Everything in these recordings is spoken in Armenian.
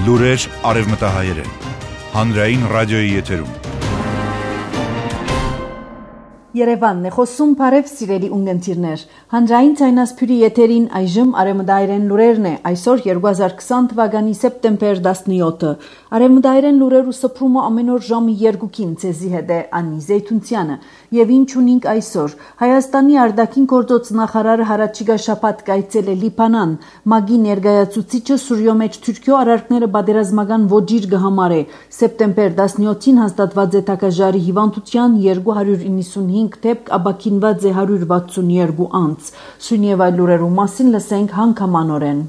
Լուրեր արևմտահայերեն, հանրային ռադիոյի եթերում։ Երևանն է խոսում, բարև սիրելի ունգընտիրներ։ Հանրային ցայնասփյուրի եթերին այժմ արևմտահայերեն լուրերն է, այսօր 2020 թվականի սեպտեմբեր 17-ը։ Արևմտահայերեն լուրերու սփռումը ամեն օր ժամը 2-ին ցեզի հետ է Անի Զեյթունցյանը։ Եվ ինչ ունենք այսօր։ Հայաստանի արտաքին գործոց նախարարը հարաճիգա շաբաթ կայցել է Լիբանան։ ՄԱԳ-ի ներկայացուցիչը Սուրիո մեջ Թուրքիո արարքները պատերազմական ոճիր կհամարե։ Սեպտեմբեր 17-ին հաստատված է Թակաժարի հիվանդության 295 դեպք, ապաքինված է 162 անձ։ Սույն եւ այլ լուրերու մասին լսենք հանգամանորեն։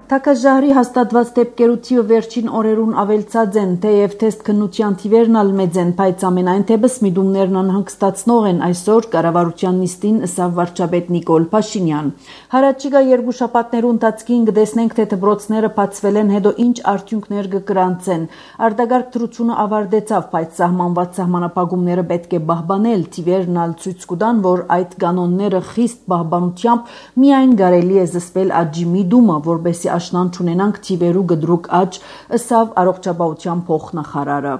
Թակաժարի հաստատված դեպքերու թիվը վերջին օրերուն ավելցած են, թեև թեստ քննության թիվերն ալ մեծ են, բայց ամենայն թեպս միտումներն անհանգստացնող են այսօր կառավարության նիստին ըսավ վարչապետ Նիկոլ Փաշինյան։ Հարաճիգա երկու շաբաթներու ընթացքին կտեսնենք, թե դպրոցները բացվել են, հետո ինչ արդյունքներ կգրանցեն։ Արտագարկ դրությունը ավարտեցավ, բայց սահմանված սահմանապահումները պետք է պահպանել, թիվերն ալ ցույց կտան, որ այդ կանոնները խիստ պահպանությամբ միայն կարելի է զսպել աճի միտումը, որպեսզի աշնան չունենանք թիվերու գդրուկ աճ, ըսավ առողջապահության փոխնախարարը։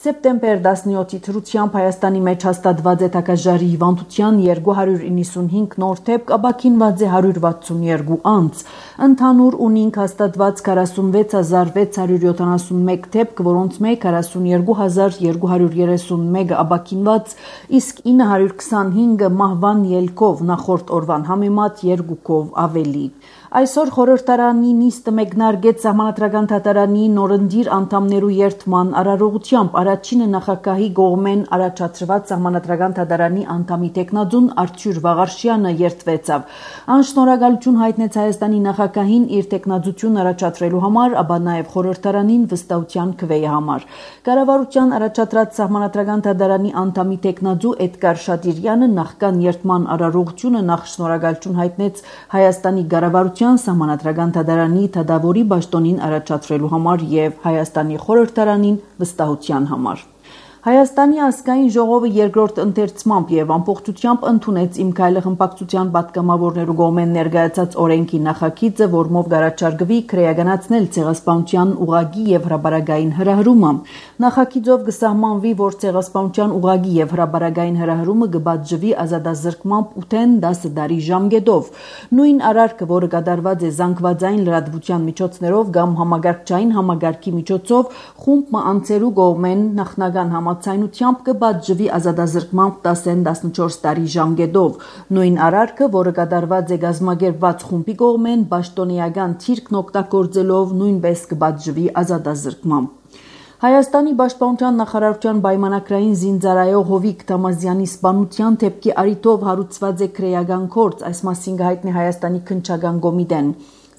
Սեպտեմբեր 17-ի թրությամբ Հայաստանի մեջ հաստատված է Թակաժարի հիվանդության 295 նոր դեպք, ապաքինված է 162 անձ։ Ընդհանուր ունենք հաստատված 46671 դեպք, որոնց մեկ 42231 ապաքինված, իսկ 925 մահվան ելքով, նախորդ օրվան համեմատ 2-ով ավելի։ Այսօր խորհրդարանի նիստը մեկնարկեց Սահմանադրական դատարանի նորընտիր անդամներու երթման արարողությամբ։ Առաջինը նախագահի կողմեն առաջադրված Սահմանադրական դատարանի անդամի տեխնատուն Արթուր Վաղարշյանը երթվեցավ։ Անշնորհակալություն հայտնեց Հայաստանի նախագահին իր տեխնատություն առաջադրելու համար, ապա նաև խորհրդարանին վստահության քվեի համար։ Կառավարության առաջադրած Սահմանադրական դատարանի անդամի տեխնատու Էդգար Շատիրյանը նախքան երթման արարողությունը նախ շնորհակալություն հայտնեց Հայաստանի կառավարության Սահմանադրական դատարանի դատավորի պաշտոնին առաջադրելու համար եւ Հայաստանի խորհրդարանին վստահության համար։ Հայաստանի ազգային ժողովը երկրորդ ընթերցմամբ եւ ամբողջությամբ ընդունեց Իմ քայլը խմբակցության պատգամավորներու կողմեն ներկայացած օրենքի նախագիծը, որմով կառաջարկվի քրեականացնել ցեղասպանության ուղղագի եւ հրաբարագային հրահրումը։ Նախագիծով կսահմանվի, որ ցեղասպանության ուղղագի եւ հրաբարագային հրահրումը կբաժվի ազատազրկմամբ 8-10 տարի ժամկետով։ Նույն արարքը, որը կատարված է զանգվածային լրատվության միջոցներով կամ համագարկչային համագարկի միջոցով, խումբ անձերու կողմեն նախնական ցայնությամբ կբաժվի ազատազրկմամբ 10-14 տարի ժամկետով։ Նույն արարքը, որը կատարված է գազམ་ագերբված խումբի կողմեն, պաշտոնեական թիրքն օգտագործելով նույնպես կբաժվի ազատազրկմամբ։ Հայաստանի պաշտպանության նախարարության պայմանագրային զինծառայող Հովիկ Թամազյանի սպանության դեպքի առիթով հարուցված է քրեական գործ, այս մասին կհայտնի Հայաստանի քննչական կոմիտեն։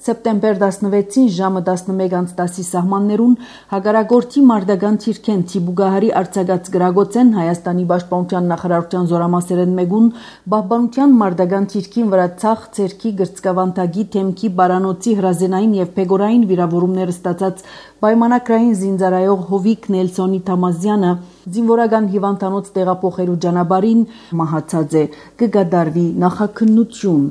Սեպտեմբեր 16-ին ժամը 11:10-ի սահմաններուն հագարագործի մարտական թիրքեն Թիբուգահարի արձակած գրագոցեն Հայաստանի պաշտպանության նախարարության զորամասերեն մեգուն պահպանության մարտական թիրքին վրա ցախ ցերքի գրծկավանդագի թեմքի բարանոցի հրազենային եւ փեգորային վիրավորումներ ստացած պայմանագրային զինծառայող Հովիկ Նելսոնի Թամազյանը զինվորական հիվանդանոց տեղափոխելու ճանապարհին մահացած է, կգադարվի նախաքննություն։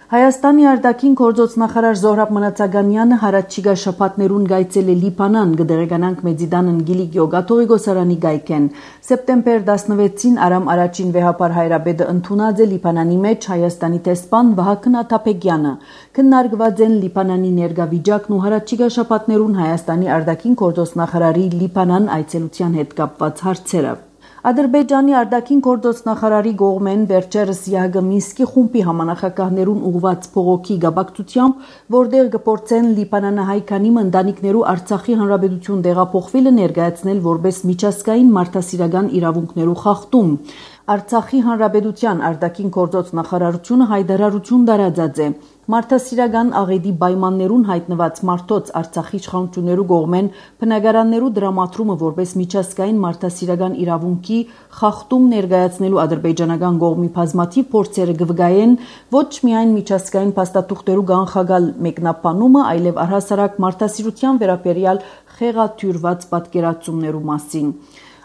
Հայաստանի արտաքին գործոց նախարար Զոհրաբ Մնացականյանը հարաճիգա շաբաթներուն գայցել է Լիբանան, կդեղեկանանք Մեծիդանն Գիլիգիո Գաթողիկոսարանի գայքեն։ Սեպտեմբեր 16-ին Արամ առաջին վեհապար հայրապետը ընդունած է Լիբանանի մեջ Հայաստանի տեսփան Վահագն Աթափեկյանը։ Քննարկված են Լիբանանի ներգավիճակն ու հարաճիգա շաբաթներուն Հայաստանի արտաքին գործոց նախարարի Լիբանան այցելության հետ կապված հարցերը։ Ադրբեջանի արտաքին գործոց նախարարի կողմեն վերջերս ԵԱՀԿ Մինսկի խումբի համանախագահներուն ուղղված փողոքի գաբակցությամբ, որտեղ կփորձեն Լիբանանահայ քանի ընտանիքներու Արցախի հանրապետություն տեղափոխվելը ներկայացնել որպես միջազգային մարդասիրական իրավունքներու խախտում։ Արցախի հանրապետության արտաքին գործոց նախարարությունը հայտարարություն տարածած է։ Մարդասիրական աղետի պայմաններուն հայտնված մարդոց Արցախի իշխանություններու կողմեն բնակարաններու դրամատրումը որպես միջազգային մարդասիրական իրավունքի խախտում ներկայացնելու ադրբեջանական կողմի բազմաթիվ փորձերը կվգայեն ոչ միայն միջազգային փաստաթուղթերու կանխագալ մեկնաբանումը, այլև առհասարակ մարդասիրության վերաբերյալ խեղաթյուրված պատկերացումներու մասին։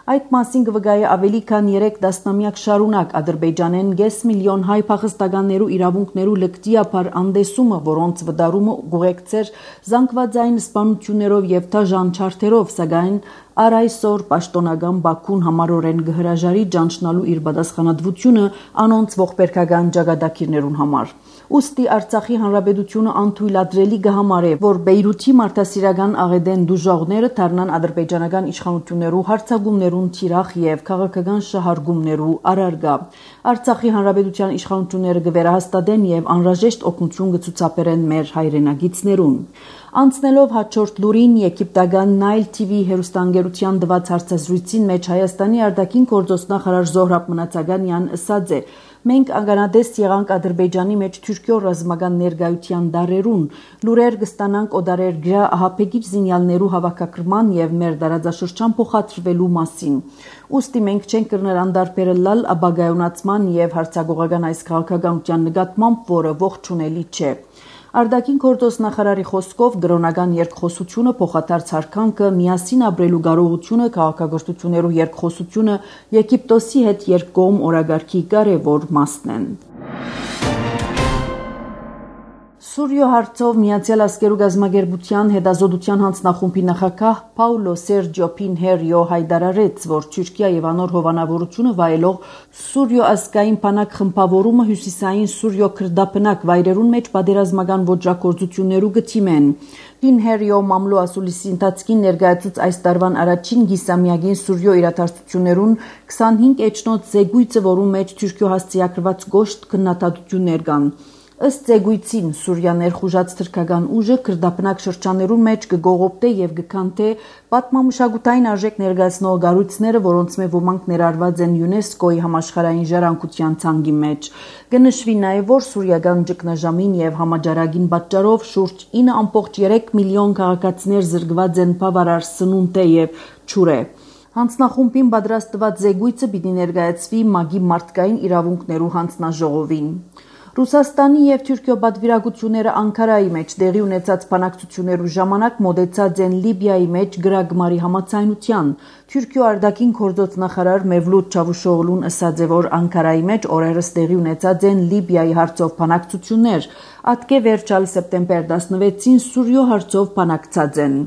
Այդ մասին կվգայի ավելի քան 3 տասնամյակ շարունակ Ադրբեջանեն 5 միլիոն հայ փախստականներու իրավունքներու լկտիապար անդեսումը, որոնց վդարումը գուղեկցեր զանգվածային սպանություններով եւ թաժան չարթերով, սակայն առ այսօր պաշտոնական Բաքուն համառորեն գհրաժարի ճանչնալու իր պատասխանատվությունը անոնց ողբերգական ճակատագիրներուն համար։ Ուստի Արցախի հանրապետությունը անթույլատրելի կհամարե, որ Բեյրութի մարդասիրական աղեդեն դուժողները դառնան ադրբեջանական իշխանություններու հարձակումներուն թիրախ եւ քաղաքական շահարկումներու առարգա։ Արցախի հանրապետության իշխանությունները կվերահաստատեն եւ անհրաժեշտ օգնություն կցուցաբերեն մեր հայրենագիցներուն։ Անցնելով հաջորդ լուրին եգիպտական Nile TV հեռուստաընկերության տված հարցազրույցին մեջ Հայաստանի արտաքին գործոստ նախարար Զոհրաբ Մնացականյան ասաց է. «Մենք անգանադես եղանք Ադրբեջանի մեջ Թուրքիո ռազմական ներկայության դարերուն, լուրեր կստանանք օդարերգրա ահաբեկիչ զինյալներու հավաքագրման եւ մեր դարաձաշրջան փոխադրվելու մասին։ Ուստի մենք չենք կրներ անդարբերել ապագայունացման եւ հարցագողական այս քաղաքականության նկատմամբ, որը ողջունելի չէ»։ Արտաքին գործոստ նախարարի խոսքով գրոնական երկխոսությունը, փոխադարձ հարկանքը, միասին ապրելու կարողությունը, քաղաքագործություններու երկխոսությունը Եգիպտոսի հետ երկկողմ օրագարկի կարևոր մասն են։ Սուրիո հարցով Միացյալ Ազգերու գազագերբության հետազոտության հանձնախումբի նախագահ Պաուլո Սերջիո Պինհերիո հայտարարեց, որ Թուրքիա եւ անոր հովանավորությունը վայելող Սուրիո ազգային բանակ խմբավորումը հյուսիսային Սուրիո քրդապնակ վայրերուն մեջ պատերազմական ոճրագործություններու գտիմեն։ Պինհերիո մամլո ասուլիսի ընթացքին ներկայացուց այս տարվան առաջին գիսամյակին Սուրիո իրադարձություններուն 25 էջնոց զեկույցը, որում մեջ Թուրքիո հասցեակրված գոշտ քննադատություններ կան։ Ըստ զեկույցին Սուրիա ներխուժած թրքական ուժը քրդապնակ շրջաններուն մեջ կգողոպտե եւ կքանթե պատմամշակութային արժեք ներկայացնող կառույցները, որոնց մե ոմանք ներառված են ՅՈՒՆԵՍԿՕ-ի համաշխարհային ժառանգության ցանկի մեջ։ Կնշվի նաեւ, որ սուրիական ճգնաժամին եւ համաճարակին պատճառով շուրջ 9.3 միլիոն քաղաքացիներ զրկված են բավարար սնունդե եւ ջուրե։ Հանձնախումբին պատրաստված զեկույցը պիտի ներկայացվի ՄԱԿ-ի մարդկային իրավունքներու հանձնաժողովին։ Ռուսաստանի եւ Թուրքիո պատվիրակությունները Անկարայի մեջ տեղի ունեցած բանակցություններու ժամանակ մոտեցած են Լիբիայի մեջ գրագմարի համաձայնության։ Թուրքիո արտաքին գործոց նախարար Մևլութ Չավուշօղլուն ասաց է, որ Անկարայի մեջ օրերս տեղի ունեցած են Լիբիայի հարցով բանակցություններ, ատկե վերջալ սեպտեմբեր 16-ին Սուրիո հարցով բանակցած են։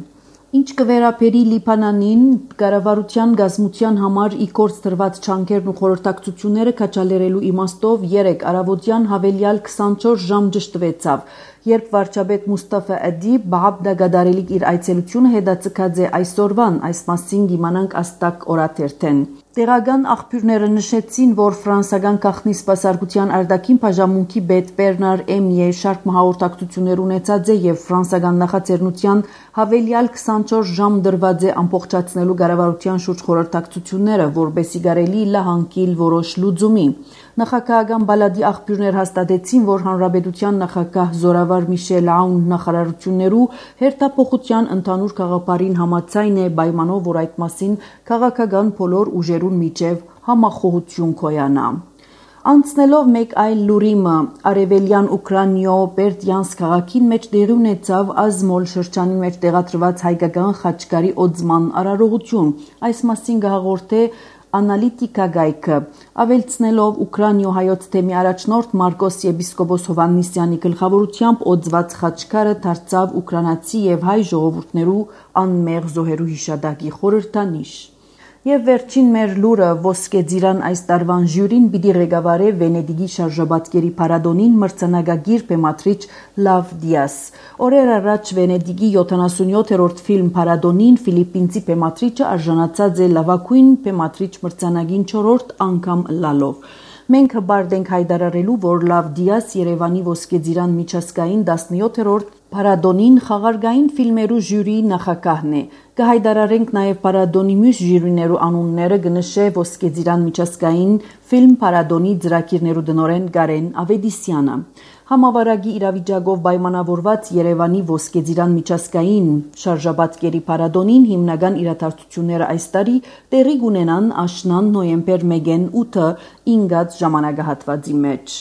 Ինչ կվերապերի Լիբանանին, կառավարության գազམության համար իգործ տրված չանքերն ու խորհրդակցությունները քաջալերելու իմաստով 3 առավոտյան հավելյալ 24 ժամ ճշտվեցավ, երբ վարչապետ Մուստաֆա Ադիբ Բաղդադարելիք իր այցելությունը հետաձգած է այսօրվան, այս մասին կիմանանք Աստակ օրաթերթեն։ Տեղական աղբյուրները նշեցին, որ ֆրանսական գաղտնի սպասարկության արտաքին բաժանմունքի պետ Բերնար Էմիե շարք հաղորդակցություններ ունեցած է եւ ֆրանսական նախաձեռնության հավելյալ 24 ժամ դրված է ամբողջացնելու կառավարության շուրջ խորհրդակցությունները, որբեսի կարելի լահանքիլ որոշ լուծումի։ Նախագահական բալադի աղբյուրներ հաստատեցին, որ հանրապետության նախագահ Զորավար Միշել Աուն նախարարություններու հերթափոխության ընդհանուր գաղափարին համաձայն է պայմանով, որ այդ մասին քաղաքական բոլոր ուժերուն միջև համախոհություն կոյանա։ Անցնելով մեկ այլ լուրիմը, արևելյան Ուկրաինայո Բերդյանսկ քաղաքին մեջ տեղի ունեցավ Ազմոլ շրջանի մեջ տեղադրված հայկական խաչկարի օծման արարողություն։ Այս մասին կհաղորդե Անալիտիկա գայքը, ավելցնելով Ուկրաինայո հայոց թեմի առաջնորդ Մարկոս եպիսկոպոս Հովհաննիսյանի գլխավորությամբ օծված խաչկարը դարձավ ուկրաինացի եւ հայ ժողովուրդներու անմեղ զոհերու հիշատակի խորհրդանիշ։ Եվ վերջին մեր լուրը ոսկե ծիրան այս տարվան ժյուրին պիտի ղեկավարե Վենեդիգի շարժաբատկերի փառատոնին մրցանակագիր բեմադրիչ Լավ Դիաս։ Օրեր առաջ Վենեդիգի 77-րդ ֆիլմ փառատոնին ֆիլիպինցի բեմադրիչը արժանացած է լավագույն բեմադրիչ մրցանակին 4-րդ անգամ լալով։ Մենք հբարդ ենք հայտարարելու, որ Լավ Դիաս Երևանի ոսկե ծիրան միջազգային 17-րդ փառատոնին խաղարկային ֆիլմերու ժյուրիի նախագահն է։ Կհայտարարենք նաև փառատոնի մյուս ժյուրիներու անունները, կնշե ոսկե ծիրան միջազգային ֆիլմ փառատոնի ծրագիրներու տնօրեն Կարեն Ավետիսյանը։ Համավարակի իրավիճակով պայմանավորված Երևանի ոսկե ծիրան միջազգային շարժաբատկերի փառատոնին հիմնական իրադարձությունները այս տարի տեղի կունենան աշնան նոյեմբեր 1-ին 8-ը 5 ժամանակահատվածի մեջ։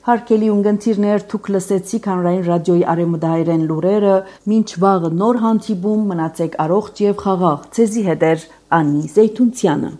Հարկելի ունգընթիրներ թուք լսեցիք հանրային ռադիոյի արևմտահայերեն լուրերը, մինչ վաղը նոր հանդիպում մնացեք առողջ եւ խաղաղ։ Ձեզի հետ է Անի Զեյթունցյանը։